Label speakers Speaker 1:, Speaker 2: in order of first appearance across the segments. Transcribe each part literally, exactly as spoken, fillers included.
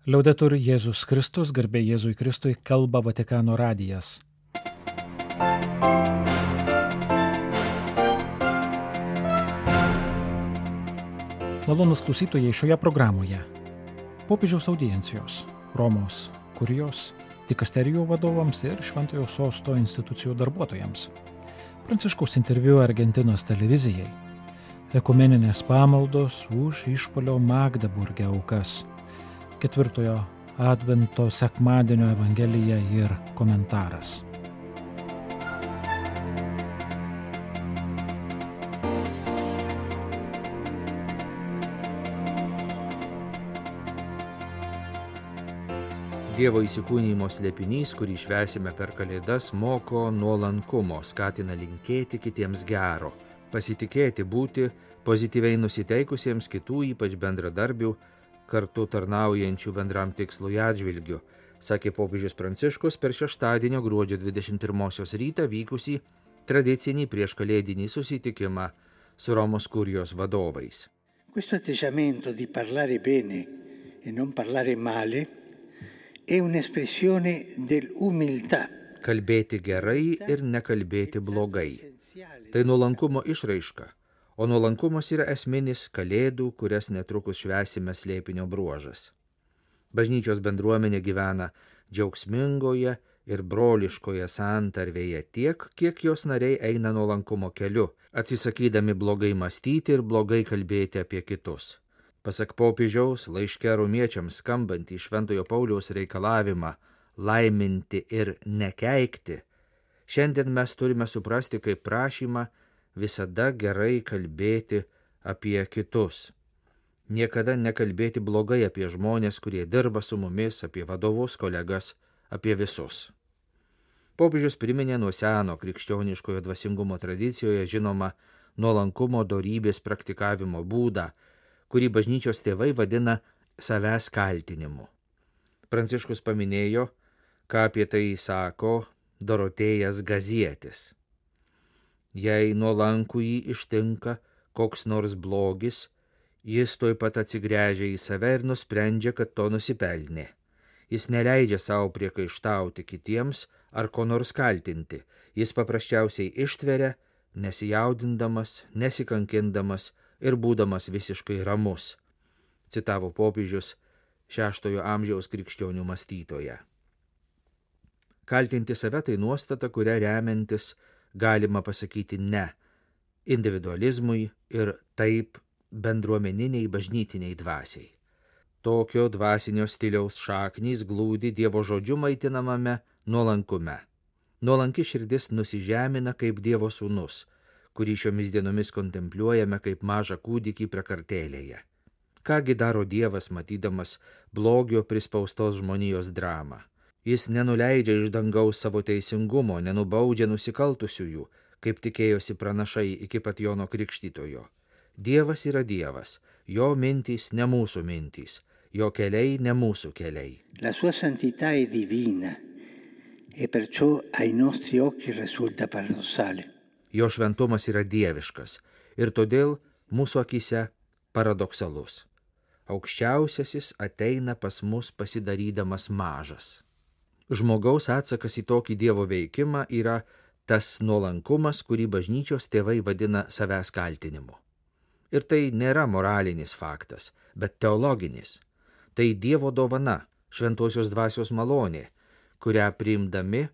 Speaker 1: Liaudetur Jėzus Kristus, garbė Jėzui Kristui, kalba Vatikano radijas. Malonūs klausytojai, šioje programoje popiežiaus audiencijos, Romos kurijos, dikasterijų vadovams ir Šventojo Sosto institucijų darbuotojams, Pranciškaus interviu Argentinos televizijai, ekumeninės pamaldos už išpuolio Magdeburge aukas, ketvirtojo Advento sekmadienio evangelija ir komentaras.
Speaker 2: Dievo įsikūnijimo slėpinys, kurį švęsime per Kalėdas, moko nuolankumo, skatina linkėti kitiems gero, pasitikėti, būti pozityviai nusiteikusiems kitų, ypač bendradarbių, kartu tarnaujančių bendram tikslui atžvilgiu, sakė popiežius Pranciškus per šeštadienio gruodžio dvidešimt pirmosios rytą vykusį tradicinį prieškalėdinį susitikimą su Romos kurijos vadovais.
Speaker 3: Questo atteggiamento di parlare bene e non parlare male è un'espressione dell'umiltà.
Speaker 2: Kalbėti gerai ir nekalbėti blogai. Tai nuolankumo išraiška, o nuolankumas yra esminis Kalėdų, kurias netrukus švęsime slėpinio bruožas. Bažnyčios bendruomenė gyvena džiaugsmingoje ir broliškoje santarvėje tiek, kiek jos nariai eina nuolankumo keliu, atsisakydami blogai mąstyti ir blogai kalbėti apie kitus. Pasak popiežiaus laiške romiečiams skambantį Šventojo Pauliaus reikalavimą laiminti ir nekeikti, šiandien mes turime suprasti kaip prašymą visada gerai kalbėti apie kitus. Niekada nekalbėti blogai apie žmonės, kurie dirba su mumis, apie vadovus, kolegas, apie visus. Popiežius priminė nuo seno krikščioniškojo dvasingumo tradicijoje žinomą nuolankumo dorybės praktikavimo būdą, kurį bažnyčios tėvai vadina savęs kaltinimu. Pranciškus paminėjo, ką apie tai sako Dorotėjas Gazietis. Jei nuolankų jį ištinka koks nors blogis, jis tuoj pat atsigręžia į save ir nusprendžia, kad to nusipelnė. Jis neleidžia savo priekaištauti kitiems ar ko nors kaltinti. Jis paprasčiausiai ištveria, nesijaudindamas, nesikankindamas ir būdamas visiškai ramus, citavo popiežius šeštojo amžiaus krikščionių mąstytoje. Kaltinti save tai nuostata, kuria remiantis galima pasakyti ne individualizmui ir taip bendruomeniniai bažnytiniai dvasiai. Tokio dvasinio stiliaus šaknys glūdi Dievo žodžiu maitinamame nuolankume. Nuolanki širdis nusižemina kaip Dievo sūnus, kurį šiomis dienomis kontempliuojame kaip mažą kūdikį prakartėlėje. Kągi daro Dievas, matydamas blogio prispaustos žmonijos dramą? Jis nenuleidžia iš dangaus savo teisingumo, nenubaudžia nusikaltusiųjų, kaip tikėjosi pranašai iki pat Jono Krikštytojo. Dievas yra Dievas, jo mintys ne mūsų mintys, jo keliai ne mūsų keliai.
Speaker 3: La sua santità è divina e perciò ai nostri occhi risulta paradossale.
Speaker 2: Jo šventumas yra dieviškas ir todėl mūsų akise paradoksalus. Aukščiausiasis ateina pas mus pasidarydamas mažas. Žmogaus atsakas į tokį Dievo veikimą yra tas nuolankumas, kurį bažnyčios tėvai vadina savęs kaltinimu. Ir tai nėra moralinis faktas, bet teologinis. Tai Dievo dovana, šventosios dvasios malonė, kurią priimdami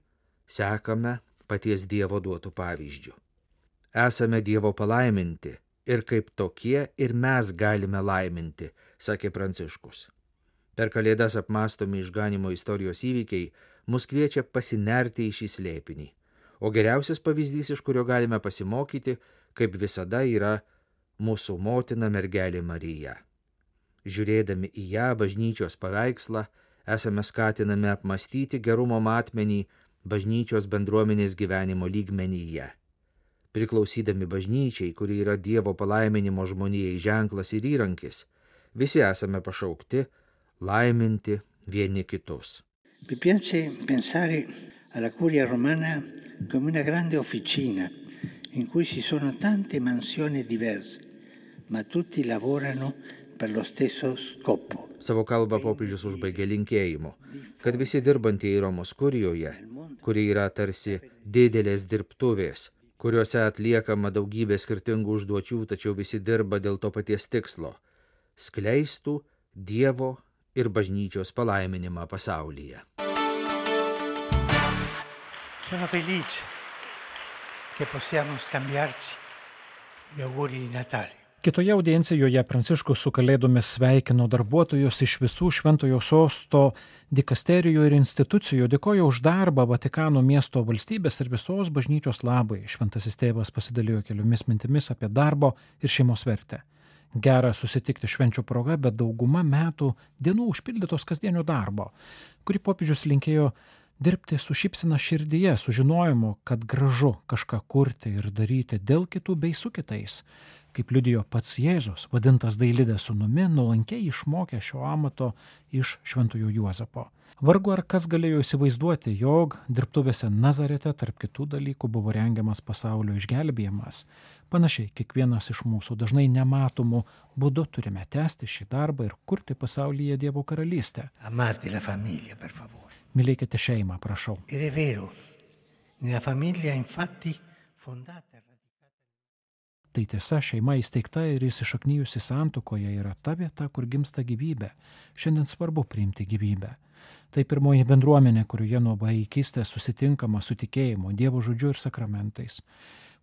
Speaker 2: sekame paties Dievo duotų pavyzdžių. Esame Dievo palaiminti ir kaip tokie ir mes galime laiminti, sakė Pranciškus. Per Kalėdas apmąstomi išganimo istorijos įvykiai mus kviečia pasinerti į šį slėpinį, o geriausias pavyzdys, iš kurio galime pasimokyti, kaip visada yra mūsų motina mergelė Marija. Žiūrėdami į ją bažnyčios paveikslą, esame skatinami apmąstyti gerumo matmenį bažnyčios bendruomenės gyvenimo lygmenyje. Priklausydami bažnyčiai, kuri yra Dievo palaiminimo žmonijai ženklas ir įrankis, visi esame pašaukti laiminti vieni kitus.
Speaker 3: Mi piace pensare alla curia romana come una grande officina in cui ci sono tante mansioni diverse, ma tutti lavorano per lo stesso scopo.
Speaker 2: Savo kalbą popiežius užbaigė linkėjimu, kad visi dirbantieji Romos kurijoje, kuri yra tarsi didelės dirbtuvės, kuriuose atliekama daugybė skirtingų užduočių, tačiau visi dirba dėl to paties tikslo – skleistų Dievo ir bažnyčios palaiminimą pasaulyje.
Speaker 3: Sono felice che possiamo scambiarci gli auguri di Natale.
Speaker 1: Kitoje audiencijoje Pranciškus su Kalėdomis sveikino darbuotojus iš visų Šventojo Sosto dikasterijų ir institucijų, dėkojo už darbą Vatikano miesto valstybės ir visos bažnyčios labai. Šventasis tėvas pasidalijo keliomis mintimis apie darbo ir šeimos vertę. Gera susitikti švenčių proga, bet dauguma metų dienų užpildytos kasdienio darbo, kurį popiežius linkėjo dirbti su šypsena širdyje, sužinojimu, kad gražu kažką kurti ir daryti dėl kitų bei su kitais. Kaip liudijo pats Jėzus, vadintas Dailidės sūnumi, nuolankiai išmokė šio amato iš Šventojo Juozapo. Vargu ar kas galėjo įsivaizduoti, jog dirbtuvėse Nazarete tarp kitų dalykų buvo rengiamas pasaulio išgelbėjimas. Panašiai, kiekvienas iš mūsų dažnai nematomų būdų turime tęsti šį darbą ir kurti pasaulyje Dievo karalystę.
Speaker 3: Amate la famiglia, per favore.
Speaker 1: Mylėkite šeimą, prašau.
Speaker 3: Ed è vero, nella famiglia infatti fondata.
Speaker 1: Tai tiesa, šeima įsteigta ir įsišaknyjusi santuokoje yra ta vieta, kur gimsta gyvybė. Šiandien svarbu priimti gyvybę. Tai pirmoji bendruomenė, kurioje nuo vaikystės susitinkama su tikėjimu, Dievo žodžiu ir sakramentais,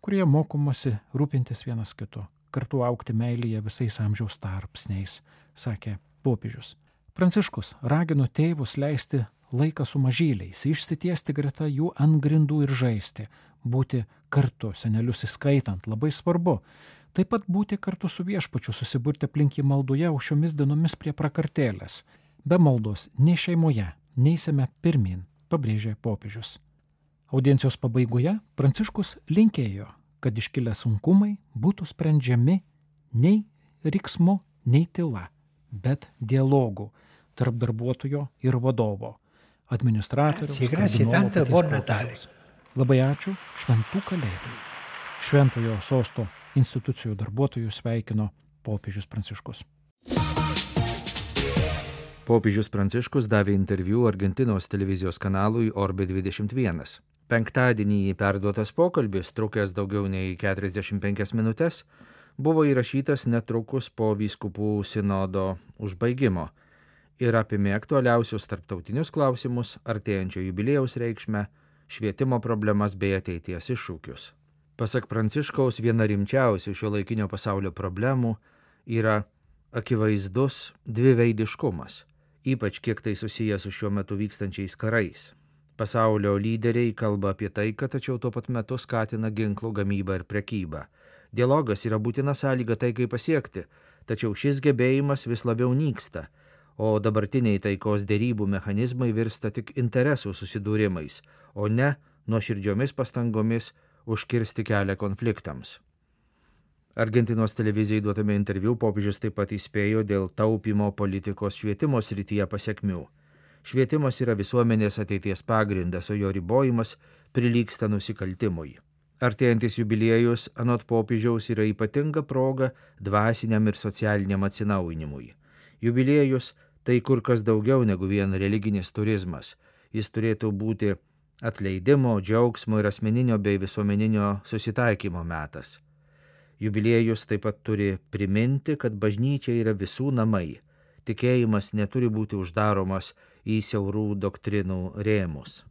Speaker 1: kurioje mokomasi rūpintis vienas kitu, kartu augti meilėje visais amžiaus tarpsniais, sakė popiežius. Pranciškus ragino tėvus leisti laiką su mažyliais, išsitiesti greta jų ant grindų ir žaisti, būti kartu, senelius įskaitant, labai svarbu. Taip pat būti kartu su viešpačiu, susiburti aplink jį maldoje, o šiomis dienomis prie prakartėlės. Be maldos nei šeimoje neisime pirmin, pabrėžė popiežius. Audiencijos pabaigoje Pranciškus linkėjo, kad iškilę sunkumai būtų sprendžiami nei riksmu, nei tyla, bet dialogų tarp darbuotojo ir vadovo, administratoriaus, kardinolo, paties popiežiaus. Labai ačiū, šventų kalėdų. Šventojo Sosto institucijų darbuotojų sveikino popiežius Pranciškus.
Speaker 2: Popiežius Pranciškus davė interviu Argentinos televizijos kanalui Orbe dvidešimt vienas. Penktadienį perduotas pokalbis, trukęs daugiau nei keturiasdešimt penkias minutes, buvo įrašytas netrukus po vyskupų sinodo užbaigimo ir apėmė aktualiausius tarptautinius klausimus, artėjančio jubiliejaus reikšmę, švietimo problemas bei ateities iššūkius. Pasak Pranciškaus, viena rimčiausių šio laikinio pasaulio problemų yra akivaizdus dviveidiškumas, ypač kiek tai susiję su šiuo metu vykstančiais karais. Pasaulio lyderiai kalba apie taiką, tačiau tuo pat metu skatina ginklų gamybą ir prekybą. Dialogas yra būtina sąlyga taikai pasiekti, tačiau šis gebėjimas vis labiau nyksta, o dabartiniai taikos derybų mechanizmai virsta tik interesų susidūrimais, o ne nuoširdžiomis pastangomis užkirsti kelią konfliktams. Argentinos televizijai duotame interviu popiežius taip pat įspėjo dėl taupymo politikos švietimo srityje pasekmių. Švietimas yra visuomenės ateities pagrindas, o jo ribojimas prilygsta nusikaltimui. Artėjantis jubiliejus anot popiežiaus yra ypatinga proga dvasiniam ir socialiniam atsinaujinimui. Jubiliejus tai kur kas daugiau negu vien religinis turizmas. Jis turėtų būti atleidimo, džiaugsmo ir asmeninio bei visuomeninio susitaikymo metas. Jubiliejus taip pat turi priminti, kad bažnyčia yra visų namai. Tikėjimas neturi būti uždaromas į siaurų doktrinų rėmus.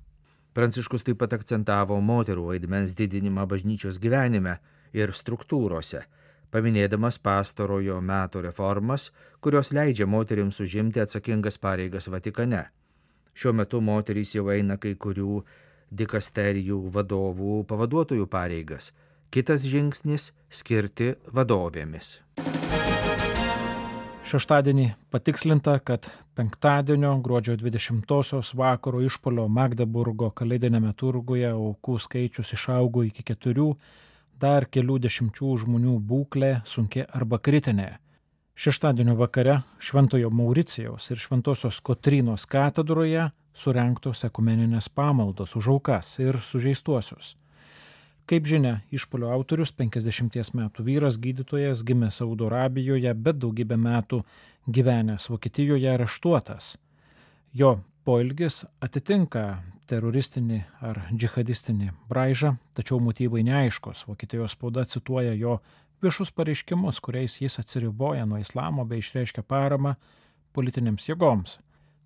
Speaker 2: Pranciškus taip pat akcentavo moterų vaidmens didinimą bažnyčios gyvenime ir struktūrose, paminėdamas pastarojo meto reformas, kurios leidžia moterims užimti atsakingas pareigas Vatikane. Šiuo metu moterys jau eina kai kurių dikasterijų vadovų pavaduotojų pareigas. Kitas žingsnis – skirti vadovėmis.
Speaker 1: Šeštadienį patikslinta, kad penktadienio gruodžio dvidešimtosios vakaro išpuolio Magdeburgo kalėdinėme turguje aukų skaičius išaugo iki keturių, dar kelių dešimčių žmonių būklė sunki arba kritinė. Šeštadienio vakare Šventojo Mauricijaus ir Šventosios Kotrynos katedroje surengtos ekumeninės pamaldos už aukas ir sužeistuosius. Kaip žinia, išpuolio autorius penkiasdešimties metų vyras gydytojas gimęs Saudo Arabijoje, bet daugybę metų gyvenęs Vokietijoje areštuotas. Jo poelgis atitinka teroristinį ar džihadistinį braižą, tačiau motyvai neaiškus. Vokietijos spauda cituoja jo viešus pareiškimus, kuriais jis atsiriboja nuo islamo bei išreiškia paramą politinėms jėgoms,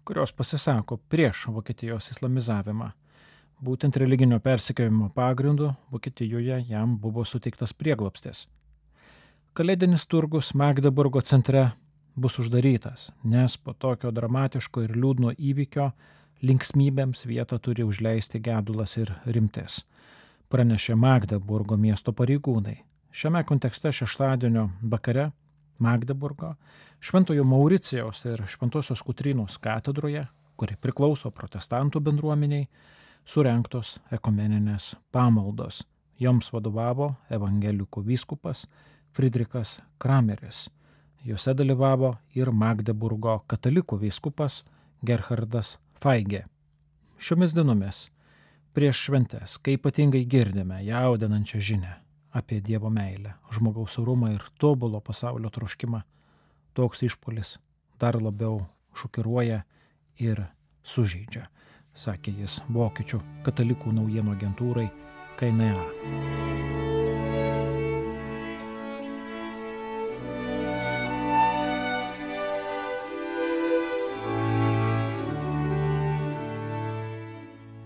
Speaker 1: kurios pasisako prieš Vokietijos islamizavimą. Būtent religinio persekiojimo pagrindu Vokietijoje jam buvo suteiktas prieglobstis. Kalėdinis turgus Magdeburgo centre bus uždarytas, nes po tokio dramatiško ir liūdno įvykio linksmybėms vietą turi užleisti gedulas ir rimtis, pranešė Magdeburgo miesto pareigūnai. Šiame kontekste šeštadienio vakare Magdeburgo, Šventojo Mauricijaus ir Šventosios Kotrynos katedroje, kuri priklauso protestantų bendruomeniai, surengtos ekumeninės pamaldos. Joms vadovavo evangelikų vyskupas Friedrichas Krameris. Jose dalyvavo ir Magdeburgo katalikų vyskupas Gerhardas Feige. Šiomis dienomis, prieš šventes, kai ypatingai girdime jaudinančią žinią apie Dievo meilę, žmogaus orumą ir tobulo pasaulio troškimą, toks išpuolis dar labiau šokiruoja ir sužeidžia, sakė jis vokiečių katalikų naujienų agentūrai K N A.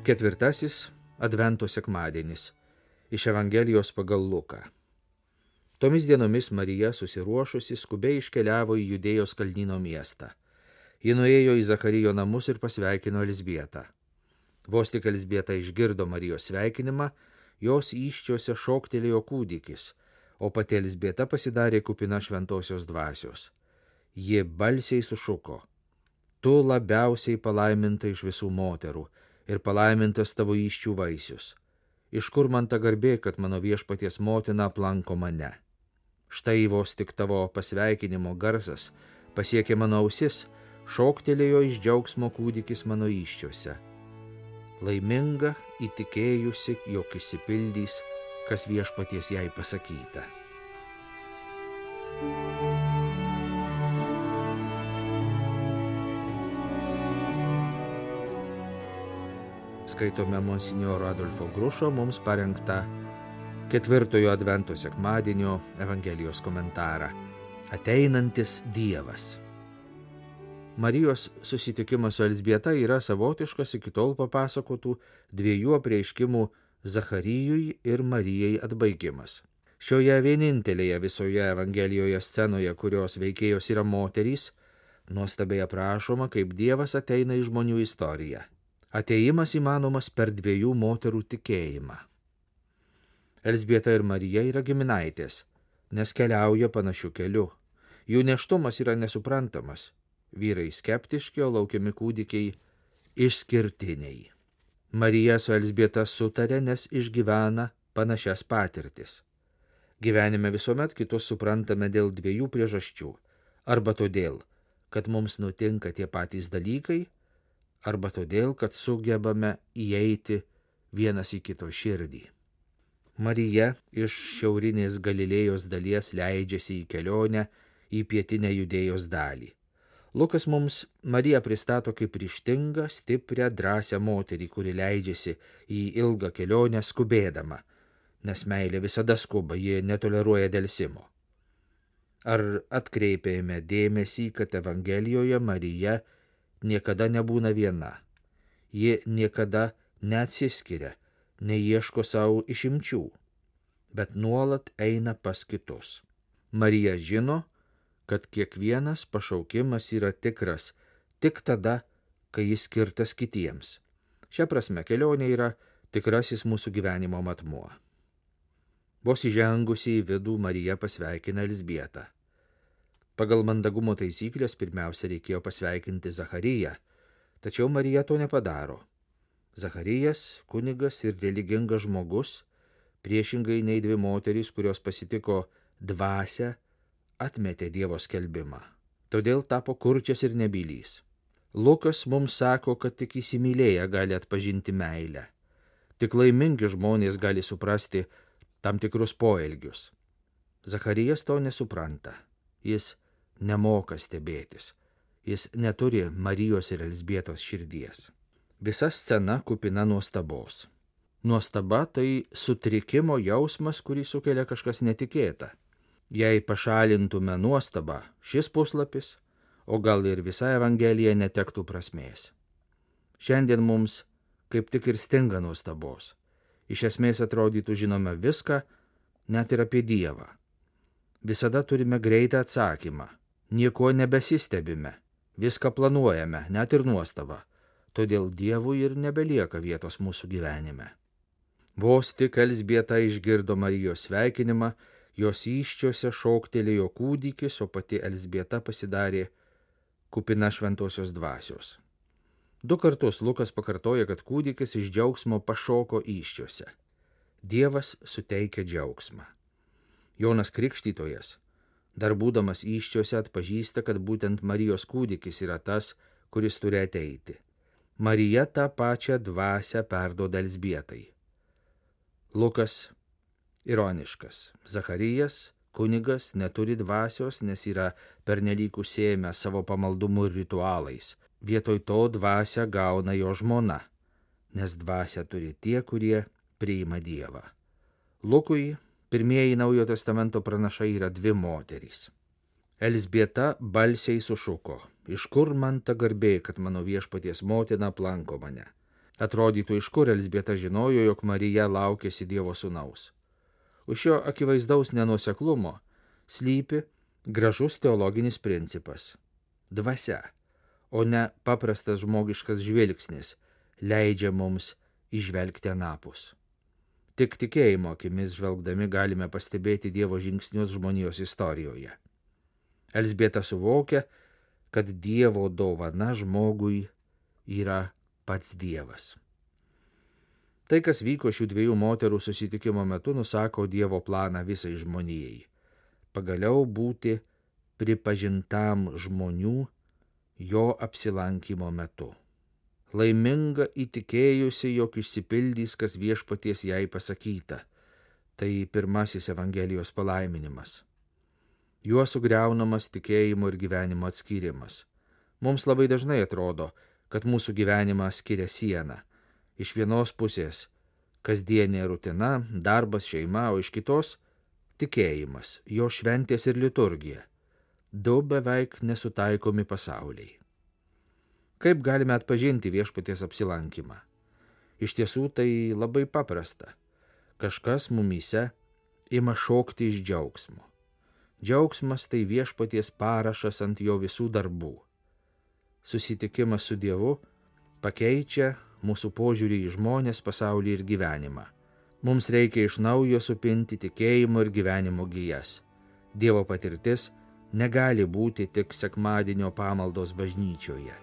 Speaker 2: Ketvirtasis Advento sekmadienis iš Evangelijos pagal Luką. Tomis dienomis Marija susiruošusi skubiai iškeliavo į Judėjos kalnyno miestą. Ji nuėjo į Zacharijo namus ir pasveikino Elzbietą. Vos tik Elzbieta išgirdo Marijos sveikinimą, jos įsčiose šoktelėjo kūdikis, o pati Elzbieta pasidarė kupina šventosios dvasios. Ji balsiai sušuko: Tu labiausiai palaiminta iš visų moterų ir palaimintas tavo įsčių vaisius. Iš kur man ta garbė, kad mano viešpaties motina aplanko mane? Štai vos tik tavo pasveikinimo garsas pasiekė mano ausis, šoktelėjo iš džiaugsmo kūdikis mano įsčiuose. Laiminga įtikėjusi, jog išsipildys, kas viešpaties jai pasakyta. Skaitome monsinjoro Adolfo Grušo mums parengtą ketvirtojo Advento sekmadienio Evangelijos komentarą. Ateinantis Dievas. Marijos susitikimas su Elzbieta yra savotiškas iki tol papasakotų dviejų apreiškimų Zacharijui ir Marijai atbaigimas. Šioje vienintelėje visoje Evangelijoje scenoje, kurios veikėjos yra moterys, nuostabiai aprašoma, kaip Dievas ateina į žmonių istoriją. Ateimas įmanomas per dviejų moterų tikėjimą. Elzbieta ir Marija yra giminaitės, nes keliauja panašiu keliu. Jų nėštumas yra nesuprantamas. Vyrai skeptiški, o laukiami kūdikiai išskirtiniai. Marija su Elzbieta sutarė, nes išgyvena panašias patirtis. Gyvenime visuomet kitus suprantame dėl dviejų priežasčių. Arba todėl, kad mums nutinka tie patys dalykai, arba todėl, kad sugebame įeiti vienas į kito širdį. Marija iš šiaurinės Galilėjos dalies leidžiasi į kelionę į pietinę Judėjos dalį. Lukas mums Mariją pristato kaip ryžtingą, stiprią, drąsią moterį, kuri leidžiasi į ilgą kelionę skubėdama, nes meilė visada skuba, ji netoleruoja delsimo. Ar atkreipėme dėmesį, kad Evangelijoje Marija niekada nebūna viena. Ji niekada neatsiskiria, neieško savo išimčių, bet nuolat eina pas kitus. Marija žino, kad kiekvienas pašaukimas yra tikras tik tada, kai jis skirtas kitiems. Šia prasme kelionė yra tikrasis mūsų gyvenimo matmuo. Vos įžengusi į vidų Marija pasveikina Elzbietą. Pagal mandagumo taisyklės pirmiausia reikėjo pasveikinti Zachariją, tačiau Marija to nepadaro. Zacharijas, kunigas ir religingas žmogus, priešingai nei dvi moterys, kurios pasitiko dvasią, atmetė Dievo skelbimą. Todėl tapo kurčias ir nebylys. Lukas mums sako, kad tik įsimylėję gali atpažinti meilę. Tik laimingi žmonės gali suprasti, tam tikrus poelgius. Zacharijas to nesupranta. Jis nemoka stebėtis. Jis neturi Marijos ir Elzbietos širdies. Visa scena kupina nuostabos. Nuostaba tai sutrikimo jausmas, kurį sukelia kažkas netikėta. Jei pašalintume nuostabą, šis puslapis, o gal ir visa Evangelija netektų prasmės. Šiandien mums kaip tik ir stinga nuostabos. Iš esmės atrodytų žinome viską, net ir apie Dievą. Visada turime greitą atsakymą, nieko nebesistebime, viską planuojame, net ir nuostabą, todėl Dievui ir nebelieka vietos mūsų gyvenime. Vos tik Elzbieta išgirdo Marijos sveikinimą, jos įsčiose šoktelėjo kūdikis, o pati Elzbieta pasidarė kupina šventosios dvasios. Du kartus Lukas pakartoja, kad kūdikis iš džiaugsmo pašoko įsčiose. Dievas suteikia džiaugsmą. Jonas Krikštytojas, dar būdamas įsčiose, atpažįsta, kad būtent Marijos kūdikis yra tas, kuris turi ateiti. Marija tą pačią dvasią perduoda Elzbietai. Lukas ironiškas. Zacharijas, kunigas, neturi dvasios, nes yra pernelyg užsiėmęs savo pamaldumu ir ritualais. Vietoj to dvasią gauna jo žmona, nes dvasią turi tie, kurie priima Dievą. Lukui pirmieji Naujojo testamento pranašai yra dvi moterys. Elzbieta balsiai sušuko: iš kur man ta garbė, kad mano viešpaties motina aplanko mane? Atrodytų, iš kur Elzbieta žinojo, jog Marija laukėsi Dievo sūnaus. Už šio akivaizdaus nenuoseklumo slypi gražus teologinis principas – dvasia, o ne paprastas žmogiškas žvilgsnis leidžia mums įžvelgti anapus. Tik tikėjimo akimis žvelgdami galime pastebėti Dievo žingsnius žmonijos istorijoje. Elzbieta suvokia, kad Dievo dovana žmogui yra pats Dievas. Tai, kas vyko šių dviejų moterų susitikimo metu, nusako Dievo planą visai žmonijai. Pagaliau būti pripažintam žmonių jo apsilankimo metu. Laiminga įtikėjusi, jog išsipildys, kas viešpaties jai pasakyta. Tai pirmasis Evangelijos palaiminimas. Juo sugriaunamas tikėjimo ir gyvenimo atskyrimas. Mums labai dažnai atrodo, kad mūsų gyvenimą skiria siena. Iš vienos pusės kasdienė rutina, darbas, šeima, o iš kitos tikėjimas, jo šventės ir liturgija. Du beveik nesutaikomi pasauliai. Kaip galime atpažinti viešpaties apsilankymą? Iš tiesų tai labai paprasta. Kažkas mumyse ima šokti iš džiaugsmo. Džiaugsmas tai viešpaties parašas ant jo visų darbų. Susitikimas su Dievu pakeičia mūsų požiūrį į žmonės, pasaulį ir gyvenimą. Mums reikia iš naujo supinti tikėjimo ir gyvenimo gijas. Dievo patirtis negali būti tik sekmadienio pamaldos bažnyčioje.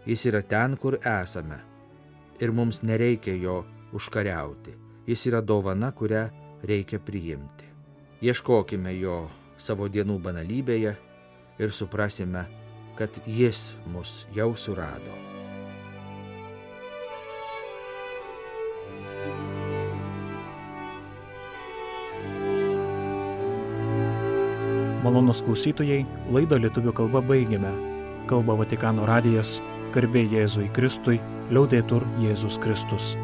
Speaker 2: Jis yra ten, kur esame, ir mums nereikia jo užkariauti. Jis yra dovana, kurią reikia priimti. Ieškokime jo savo dienų banalybėje ir suprasime, kad jis mus jau surado.
Speaker 1: Malonūs klausytojai, laidą lietuvių kalba baigėme. Kalba Vatikano radijas, garbė Jėzui Kristui, liaudetur Jėzus Kristus.